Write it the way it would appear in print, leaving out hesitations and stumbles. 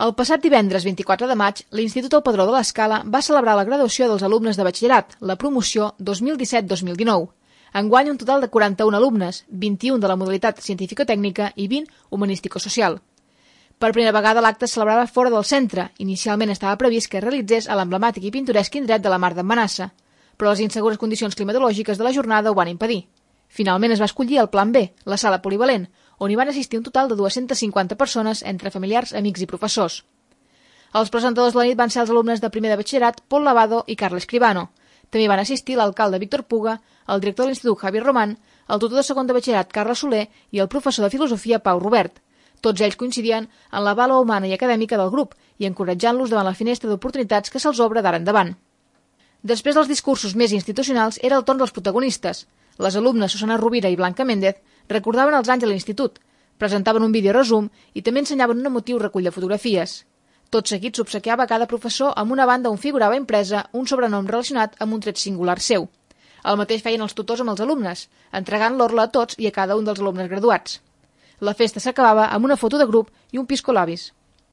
El passat divendres 24 de maig, l'Institut El Padró de l'Escala va celebrar la graduació dels alumnes de batxillerat, la promoció 2017-2019. Enguany un total de 41 alumnes, 21 de la modalitat científico-tècnica i 20 humanístico-social. Per primera vegada l'acte es celebrava fora del centre. Inicialment estava previst que es realitzés a l'emblemàtic i pintoresc indret de la Mar d'en Manassa, però les insegures condicions climatològiques de la jornada ho van impedir. Finalment es va escollir el Plan B, la sala polivalent, on hi van assistir un total de 250 persones entre familiars, amics i professors. Els presentadors de la nit van ser els alumnes de primer de batxillerat Pol Lavado i Carles Escribano. També van assistir l'alcalde Víctor Puga, el director de l'Institut Javier Román, el tutor de segon de batxillerat Carles Soler i el professor de filosofia Pau Robert. Tots ells coincidien en la vàlua humana i acadèmica del grup i encoratjant-los davant la finestra d'oportunitats que se'ls obre d'ara endavant. Després dels discursos més institucionals era el torn dels protagonistes. Les alumnes Susana Rovira i Blanca Méndez recordaven els anys a l'institut, presentaven un videoresum i també ensenyaven un emotiu recull de fotografies. Tot seguit s'obsequiava a cada professor amb una banda on figurava impresa un sobrenom relacionat amb un tret singular seu. El mateix feien els tutors amb els alumnes, entregant l'orla a tots i a cada un dels alumnes graduats. La festa s'acabava amb una foto de grup i un piscolabis.